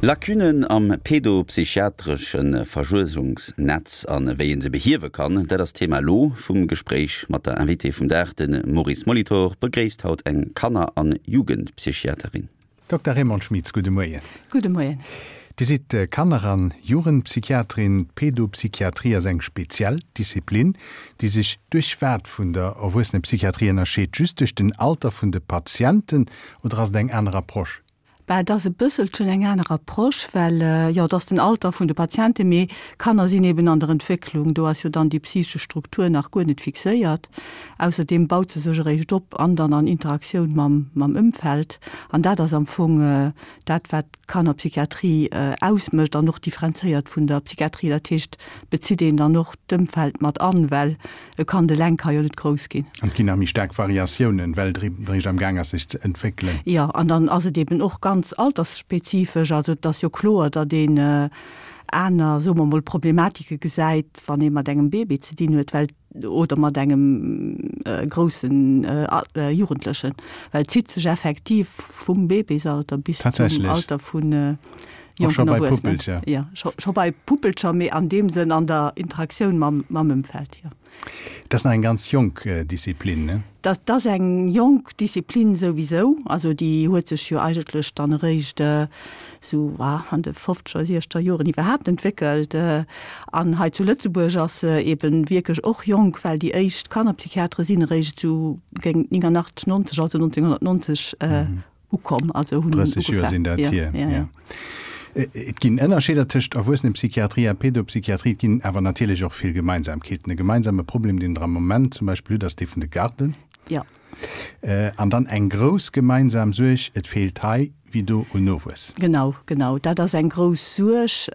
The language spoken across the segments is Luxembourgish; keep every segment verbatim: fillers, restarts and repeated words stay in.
Lacunnen am pedopsychiatresche Versuergungsnetz an wéi een se behiewe kann, dat ass d'Thema elo vum Gespréich mat der Invitée vum Dag. De Maurice Molitor begréisst haut eng Kanner an Jugendpsychiaterin. Dokter Raymonde Schmitz, gudde Moien. Gudde Moien. Dir sidd Kanner an Jugendpsychiaterin. D'Pedopsychiatrie ass eng speziell Disziplin, déi sech duerch wat vun der Erwuessenepsychiatrie ënnerscheet? Just duerch den Alter vun de Patienten oder ass et eng aner Approche? Bah, et ass e bësselchen eng aner Approche, well, jo, et ass den Alter vun de Patienten, mee Kanner sinn eben an der Entwécklung, do ass jo dann déi psychesch Struktur nach guer net fixéiert. Ausserdeem baut se sech eréischt op an dann an Interaktioun mam, mam Ëmfeld. An dat ass am Fong dat, wat d'Kannerpsychiatrie ausmécht an och differenzéiert vun der Psychiatrie. Dat heescht, bezitt een dann och d'Ëmfeld mat an, well e Kand eleng ka jo net grouss ginn. An et ginn nach méi staark Variatiounen, well et eréischt am Gaang ass, sech ze entwéckelen. Jo, an dann ass et eben och ganz altersspezifesch. Also et ass jo kloer, datt een aner, soe mer mol, Problematike gesäit, wann ee mat engem Bébé ze dinn huet, well, oder mat engem groussen Jugendlechen, well et zitt sech effektiv vum Bébésalter bis zum Alter vu jonken Erwuessenen. Jo, scho bei Puppelcher, mee an deem Sënn an der Interaktioun mam Ëmfeld, jo. Dat ass nach eng ganz jonk Disziplin, ne? Dat ass eng jonk Disziplin souwisou. Also déi huet sech jo eigentlech dann eréischt esou an de fofzeger, siechzeger Joren iwwerhaapt entwéckelt. An hei zu Lëtzebuerg ass se eeben wierklech och jonk, well déi éischt Kannerpsychiatere sinn eréischt esou géint néngannachtzeg, nonzeg, also nonzénghonnertnonzeg ukomm, also hunn drësseg Joer sinn dat hier, jo. Et ginn Ënnerscheeder tëscht Erwuessenepsychiatrie a Pedopsychiatrie, et ginn awer natierlech och vill Gemeinsamkeeten. E gemeinsame Problem, deen Der am Moment zum Beispill hutt, ass dee vun de Garden. Jo. An dann eng grouss gemeinsam Suerg, et feelt hei wéi do un Nowuess. Genau, genau, dat ass eng grouss Suerg.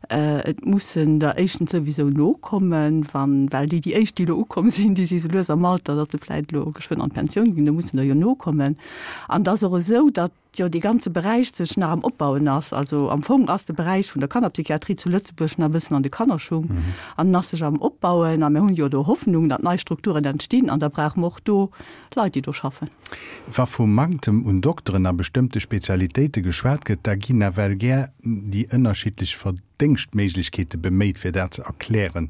Et mussen der éischtens souwisou nokommen, wann, well déi, déi éischt, déi elo ukomm sinn, déi si sou lues am Alter, datt se vläicht elo geschwënn an d'Pensioun ginn, do mussen der jo nokommen. An et ass och esou, datt jo dee ganze Beräich sech nach am Opbauen ass. Also am Fong ass de Beräich vun der Kannerpsychiatrie zu Lëtzebuerg nach e bëssen an de Kannerschung an en ass sech am Opbauen. A mir hunn jo do Hoffnung, datt nei Strukturen entstinn an da brauche mer och do Leit, déi do schaffen. Wa vum Manktem un Dokteren a bestëmmte Spezialitéite geschwat gëtt, da ginn nawell gär déi ënnerschiddlech Verdéngschtméiglechkeete beméit, fir dat ze erklären.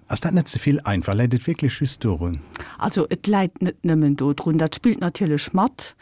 Ass dat net ze vill einfach? Läit et wierklech just dorun? Also et läit net nëmmen dodrun. Dat spillt natierlech mat,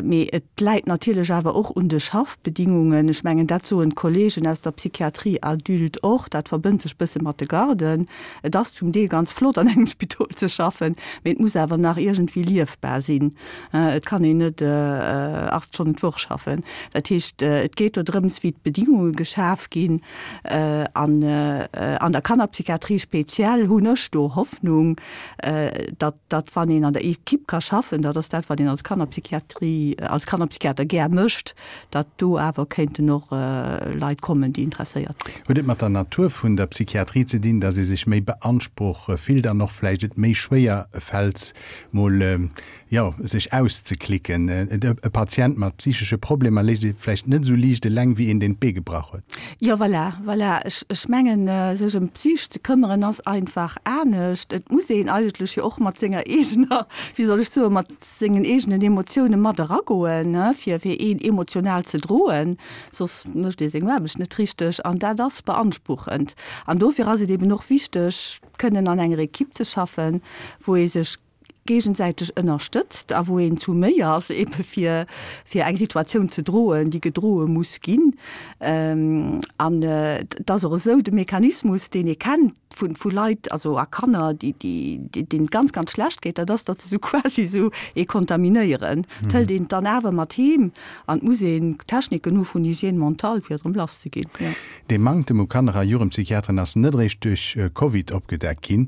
mee et läit natierlech awer och un de Schaffbedingungen. Ech mengen, dat soen d'Kollegen aus der Psychiatrie adulte och. Dat verbënnt sech bësse mat de Garden. Et ass zum Deel ganz flott, an engem Spidol ze schaffen, mee et muss awer nach iergendwéi liefbar sinn. Et kann een net aacht Stonnen d'Woch schaffen. Dat heescht, et geet do drëms, wéi d'Bedingunge geschaf ginn. An an der Kannerpsychiatrie speziell hunn ech do Hoffnung, datt, datt wann een an der Equipe ka schaffen, dat ass dat, wat een als Kannerpsychiatrie, als Kannerpsychiater gär mécht, datt do awer kéinten och Leit kommen, déi interesséiert sinn. Huet et mat der Natur vun der Psychiatrie ze dinn, datt ee sech méi beanspruch fillt an och vläicht et méi schwéier fält, mol, jo, sech auszeklicken? E Patient mat psychesche Problemer léisst ee vläicht net esou liicht eleng wéi een, deen d'Bee gebrach huet. Jo, voilà, voilà. Ech, ech mengen, sech ëm d'Psych ze këmmeren ass einfach anescht. Et muss een eigentlech jo och mat senger eegener, wéi soll ech soen, mat sengen eegenen Emotioune mat eragoen, ne, fir, fir een emotional ze droen, soss mécht ee seng Aarbecht net richteg. An dat ass beanspruchend. An dofir ass et eben och wichteg, kënnen an enger Equipe ze schaffen, wou ee sech géigesäiteg ënnerstëtzt a wou een zu méi ass, ebe fir, fir eng Situatioun ze droen, déi gedroe muss ginn. An et ass och esou, de Mechanismus, deen ee kennt vu, vu Leit, also a Kanner, déi, déi, deenen et ganz, ganz schlecht geet, dat ass, datt se esou quasi esou ee kontaminéieren. Et hëlt een et dann awer mat heem an et muss een Techniken hu vun Hygiène mentale, fir erëm lass ze ginn. Dee Manktem u Kanner a Jugendpsychiateren ass net eréischt duerch Covid opgedeckt ginn.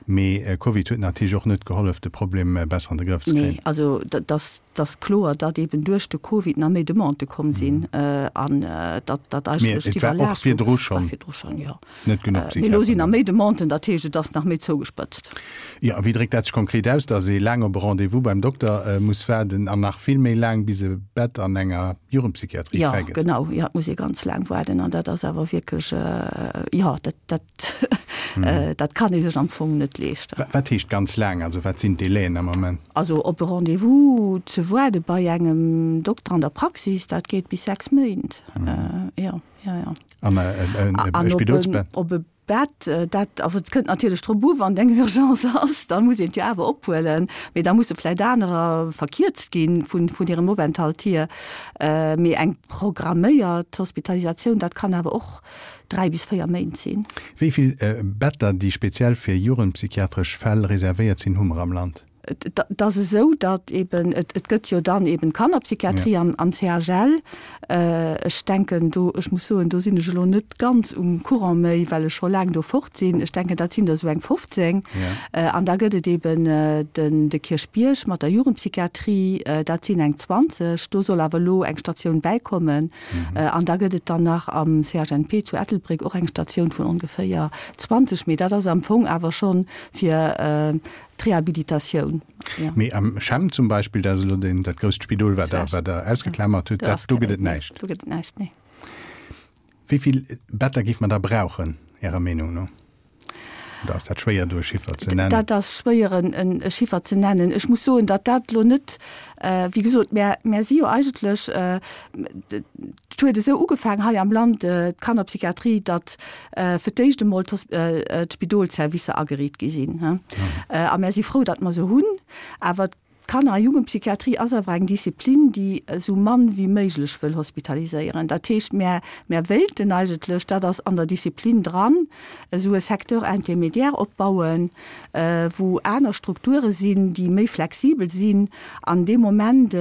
Mee Covid huet natierlech och net gehollef, de Problem besser an de Grëff ze Nee, kréien. also dat ass, dat ass kloer, datt eeben duerch de Covid nach méi Demandë komm sinn an datt dat Mee eigentlech et war och d'Iwwerlaastung virdru war schonn virdru schonn, jo. net genuch Mee elo sinn Psychiateren nach do. méi Demanden, dat heescht, et ass nach méi zougespëtzt. Jo, a wéi dréckt dat sech konkret aus, datt ee laang op e Rendez-vous beim Dokter muss waarden an nach vill méi laang, bis e Bett an enger Jugendpsychiatrie Jo, fräi gëtt? genau, jo, et muss ee ganz laang waarden an dat ass awer wierklech, jo, dat, dat Dat kann ee sech am Fong net leeschten. Wat heescht ganz laang? Also wat sinn d'Délaien am Moment? Also op e Rendez-vous ze waarde bei engem Dokter an der Praxis, dat geet bis sechs Méint. Jo, jo, jo. An e Spidolsbett? Op e Bett, dat, also et kënnt natierlech drop u wann et eng Urgence ass, da muss een et jo awer ophuelen, mee da musse vläicht anerer verkierzt gi vun hirem Openthalt hier. Mee eng programméiert Hospitalisatioun, dat kann awer och dräi bis véier Méint sinn. Wéi vill Better, déi speziell fir jugendpsychiatresch Fäll reservéiert sinn, hu mer am Land? Et ass esou, datt eben, et gëtt jo dann eben d'Kannerpsychiatrie am C H L. Ech denken do, ech muss soen, do sinn ech elo net ganz um Courant méi, well ech scho laang do fort sinn. Ech denken, dat sinn der esou eng fofzéng. An da gëtt et eben den, de Kierchbierg mat der Jugendpsychiatrie, dat sinn eng zwanzeg. Do soll awer elo eng Statioun bäikommen. An da gëtt et dann nach am C H N P zu Ettelbréck och eng Statioun vun ongeféier zwanzeg. Mee dat ass am Fong awer schonn fir d'Rehabilitatioun. Ja. Mee am CHEM zum Beispill, dat ass elo den, dat grousst Spidol, wat Der, wat Der ausgeklamert hutt, dat, do gëtt et näischt. Do gëtt et näischt, nee. Wéi vill Better géif mer da brauchen, Ärer Meenung no? Oder ass dat schwéier, do e Chiffer ze nennen? Dat ass schwéier, en Chiffer ze nennen. Ech muss soen, datt dat elo net, wéi gesot, mär, mär si jo eigentlech, et huet esou ugefaangen hei am Land, d'Kannerpsychiatrie, datt fir d'éischt emol d'Spidolservicer ageriicht gi sinn. A mär si frou, datt mer se hunn. Awer d'Kanner a Jugendpsychiatrie ass awer eng Disziplin, déi esou mann wéi méiglech wëll hospitaliséieren. Dat heescht, mär, mär wéilten eigentlech, dat ass an der Disziplin dran, esou e Secteur intermédiaire opbauen, wou aner Strukture sinn, déi méi flexibel sinn. An dee Moment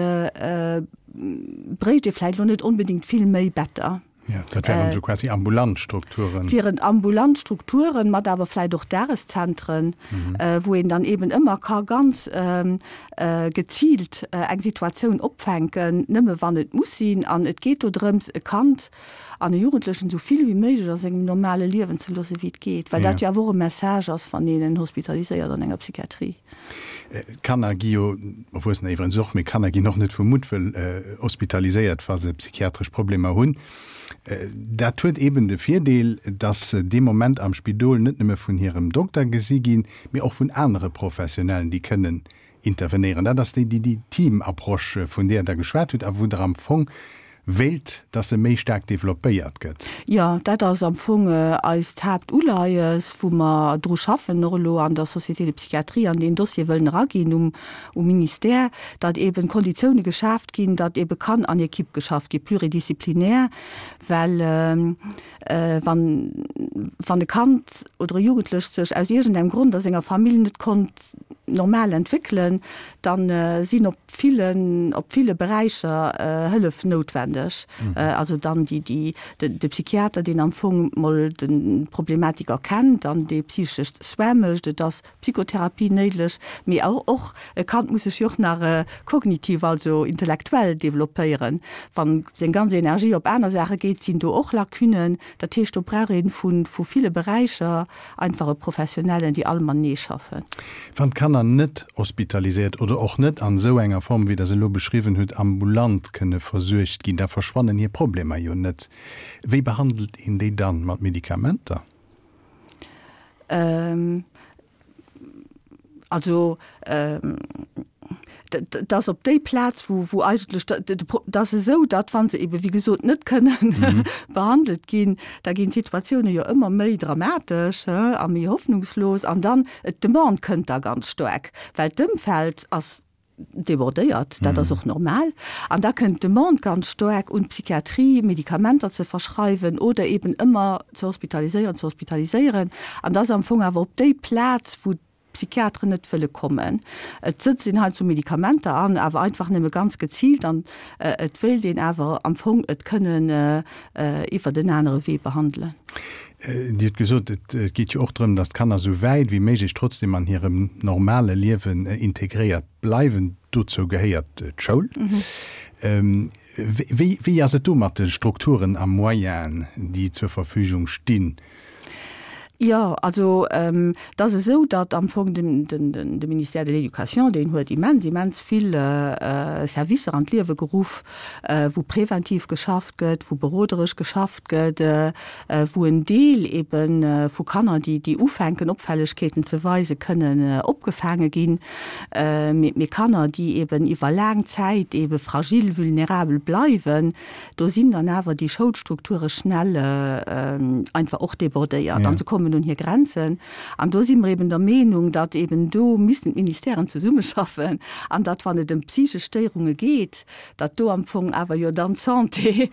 bréicht ee vläicht elo net onbedéngt vill méi Better. Ja, dat wären esou quasi ambulant Strukturen. Dat wieren ambulant Strukturen, mat awer vläicht och Dageszentren, wou een dann eben ëmmer ka ganz geziilt eng Situatioun opfänken, nëmme wann et muss sinn. An et geet do drëms, e Kand an e Jugendlechen esou vill wéi méiglech a sengem normale Liewen ze loosse wéi et geet, well dat jo awer och e Message ass, wann een en hospitaliséiert an enger Psychiatrie. Kanner gi jo, Erwuessener iwwerens och, mee Kanner ginn och net vu Muttwëll hospitaliséiert, wa se psychiatresch Problemer hunn. Dat huet eeben de Virdeel, dass se dee Moment am Spidol net nëmme vun hirem Dokter gesi ginn, mee och vun anere Professionellen, déi kënnen intervenéieren. Dat ass déi, déi Team-Approche, vun där Der geschwat hutt a wou Der am Fong wéilt, dass se méi staark developpéiert gëtt. Jo, dat ass am Fong eist Haaptuleies, wou mer dru schaffen, och elo an der Société de psychiatrie an deen Dossier wëllen eraginn um Ministère, datt eeben Konditioune geschaaft ginn, datt eebe kann an Equipe geschafft gi, pluridisciplinaire, well wann, wann e Kand oder e Jugendlecht sech aus iergendengem Grond a senger Famill net konnt normal entwéckelen, da sinn op villen, op ville Beräicher Hëllef noutwendeg. Also dann déi, déi, de Psychiater, deen am Fong mol d'Problematik erkennt an dee psychesch Soin mécht, et ass Psychotherapie néideg, mee och, och e Kand muss sech jo och nach kognitiv, also intellektuell developpéieren. Wann seng ganz Energie op aner Saache geet, sinn do och Lacunen. Dat heescht, do brauch ee vu ville Beräicher einfach e Professionellen, déi all matenee schaffen. Wann d'Kanner net hospitaliséiert oder och net an esou enger Form, wéi Der se elo beschriwwen hutt, ambulant kënne versuergt ginn, da verschwannen hir Problemer jo net. Wéi behandelt een déi dann? Mat Medikamenter? Also, et ass op déi Plaz, wou, wou eigentlech, et ass esou, datt, wa se ebe wéi gesot net kënnen behandelt ginn, da ginn d'Situatioune jo ëmmer méi dramatesch a méi hoffnungslos an dann d'Demande kënnt da ganz staark, well d'Ëmfeld ass débordéiert, dat ass och normal, an da kënnt d'Demande ganz staark un d'Psychiatrie, Medikamenter ze verschreiwen oder eben ëmmer ze hospitaliséieren, ze hospitaliséieren. An da ass am Fong awer op déi Plaz, wou d'Psychiateren net wëlle kommen. Et sëtzt een heiansdo Medikamenter an, awer einfach nëmme ganz geziilt an et wéilt een awer am Fong et kënnen iwwert en anere Wee behandelen. Dir hutt gesot, et geet jo och drëm, datt d'Kanner esou wäit wéi méiglech trotzdem an hirem normale Liewen integréiert bleiwen. Dozou gehéiert d'Schoul. Wéi, wéi ass et do mat de Strukturen a Moyenen, déi zur Verfügung stinn? Jo, also et ass esou, datt am Fong den, den, den, de Ministère de l'Éducation, deen huet immens, immens vill Servicer an d'Liewe geruff, wou preventiv geschafft gëtt, wou beroderesch geschafft gëtt, wou en Deel ebe vu Kanner, déi, déi ufänken Opfällegkeeten ze weisen, kënnen opgefaange ginn. Mee, mee Kanner, déi eben iwwer laang Zäit ebe fragil, vulnerabel bleiwen, do sinn dann awer déi Schoulstrukture schnell einfach och débordéiert an se kommen un hir Grenzen. An do si mer eben der Meenung, datt eben do missten d'Ministèren zesummeschaffen an datt, wann et ëm psychesch Stéierunge geet, datt do am Fong awer jo dann d'Santé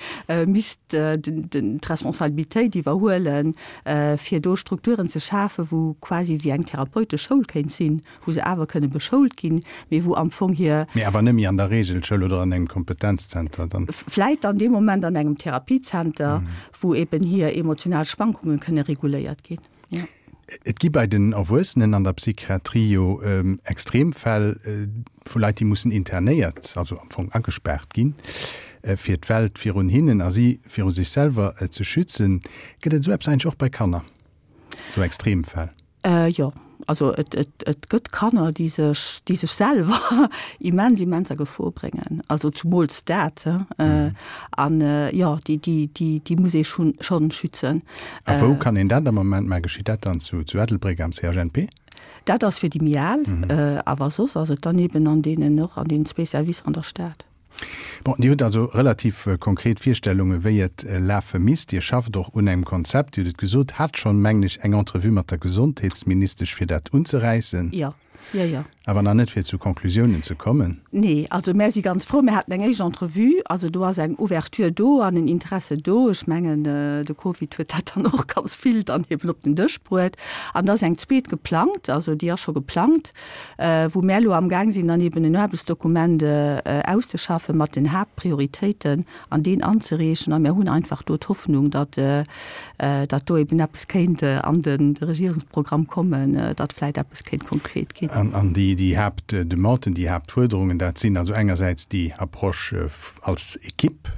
misst d'Responsabilitéit iwwerhuelen, fir do Strukturen ze schafen, wou quasi wéi eng therapeutesch Schoul kéint sinn, wou se awer kënne beschoult ginn, mee wou am Fong hir. Mee awer net méi an der Regelschoul oder an engem Kompetenzzenter dann? Vläit dann dee Moment an engem Therapiezenter, wou eben hir emotional Schwankungen kënne reguléiert ginn. Jo. Et gi bei den Erwuessenen an der Psychiatrie jo Extremfäll vu Leit, déi mussen internéiert, also am Fong agespaart ginn, fir d'Welt virun hinnen a si viru sech selwer ze schützen. Gëtt et esou eppes eigentlech och bei Kanner, esou Extremfäll? Jo, also et, et, et gëtt Kanner, déi sech, déi sech selwer immens, immens a Gefor bréngen, also zumools dat. An jo, déi, déi, déi, déi muss ee schonn, schonn schützen. A wou kann een dat am Moment maachen? Geschitt dat dann zu, zu Ettelbréck am C H N P? Dat ass fir déi méi al, awer soss ass et dann eben an deenen, och an deenen zwee Servicer an der Stad. Bon, Dir hutt also relativ konkret Virstellungen, wéi et lafe misst. Dir schafft och un engem Konzept. Dir hutt et gesot, hat schonn, mengen ech, eng Entrevue mat der Gesondheetsministesch, fir dat unzeräissen. Jo, jo, jo. Awer nach net, fir zu Conclusiounen ze kommen. Nee, also mär si ganz frou. Mir haten eng éischt Entrevue. Also do ass eng Ouverture do an en Interesse do. Ech mengen, de Covid huet dat dann och ganz vill dann eben op den Dësch bruet. An da ass eng zweet geplangt, also déi ass scho geplangt. wou mär elo amgaang sinn, dann eben en Aarbechtsdokument auszeschaffen mat den Haaptprioritéiten an deen anzereechen. A mär hunn einfach do d'Hoffnung, datt, datt do eben eppes kéint an de Regierungsprogramm kommen, datt vläicht eppes kéint konkret ginn. An déi, déi Haaptdemanden, déi Haaptfuerderungen, dat sinn also engersäits déi Approche als Equipe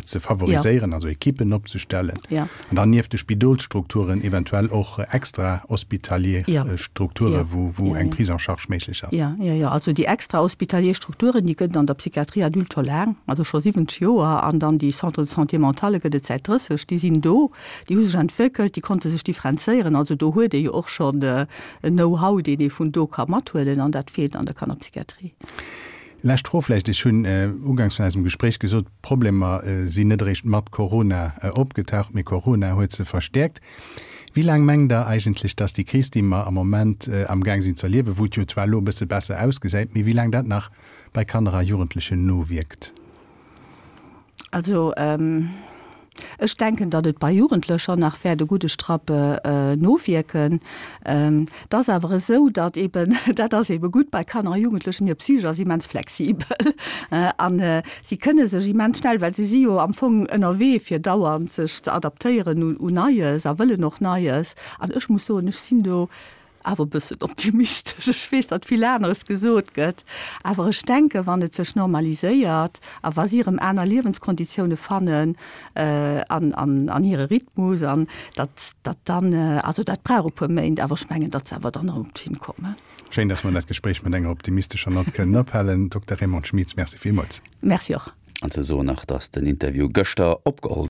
ze favoriséieren, also Equippen opzestellen, an dann nieft de Spidolsstrukturen eventuell och extrahospitalier Strukture wou eng Prise en charge méiglech ass. Jo, jo, jo. Also déi extrahospitalier Strukturen, déi gëtt et an der Psychiatrie adulte scho laang, also scho siwwenzeg Joer, an dann déi Centres de santé mentale gëtt et säit drësseg. Déi sinn do, déi hu sech entwéckelt, déi konnte sech differenzéieren. Also do huet ee jo och schonn en Know-how, deen ee vun do ka mathuelen, an dat feelt an der Kannerpsychiatrie. Lescht Fro vläicht, Ech hunn uganks vun eisem Gespréich gesot, d'Problemer sinn net eréischt mat Corona opgetaucht, mee Corona huet se verstäerkt. Wéi laang mengt Der eigentlech, datt déi Kris, déi mer am Moment amgaang sinn ze erliewen, wou et jo zwar elo e bësse besser ausgesäit, mee wéi laang dat nach bei Kanner a Jugendlechen nowierkt? Also ech denken, datt et bei Jugendlecher nach wäert e gudde Strapp nowierken. Et ass awer esou, datt eeben, dat ass eebe gutt bei Kanner a Jugendlechen, hir Psych ass immens flexibel an si kënne sech immens schnell, well si si jo am Fong ënnerwee fir dauernd sech ze adaptéieren un Neies a wëllen och Neies. An ech muss soen, ech sinn do awer e bëssen optimistesch. Ech weess, datt vill aneres gesot gëtt, awer ech denken, wann et sech normaliséiert a wa si erëm aner Liewenskonditioune fannen an, an, an hire Rhythmus an datt, datt dann, also dat brauch e puer Méint, awer ech mengen, datt se awer dann erëm op d'Schinn kommen. Schéin, datt mer dat Gespréich mat enger optimistescher Nott kënnen ophalen. Dokter Raymonde Schmitz, Merci villmools. Merci och. An ze soen nach, datt den Interview gëschter opgeholl.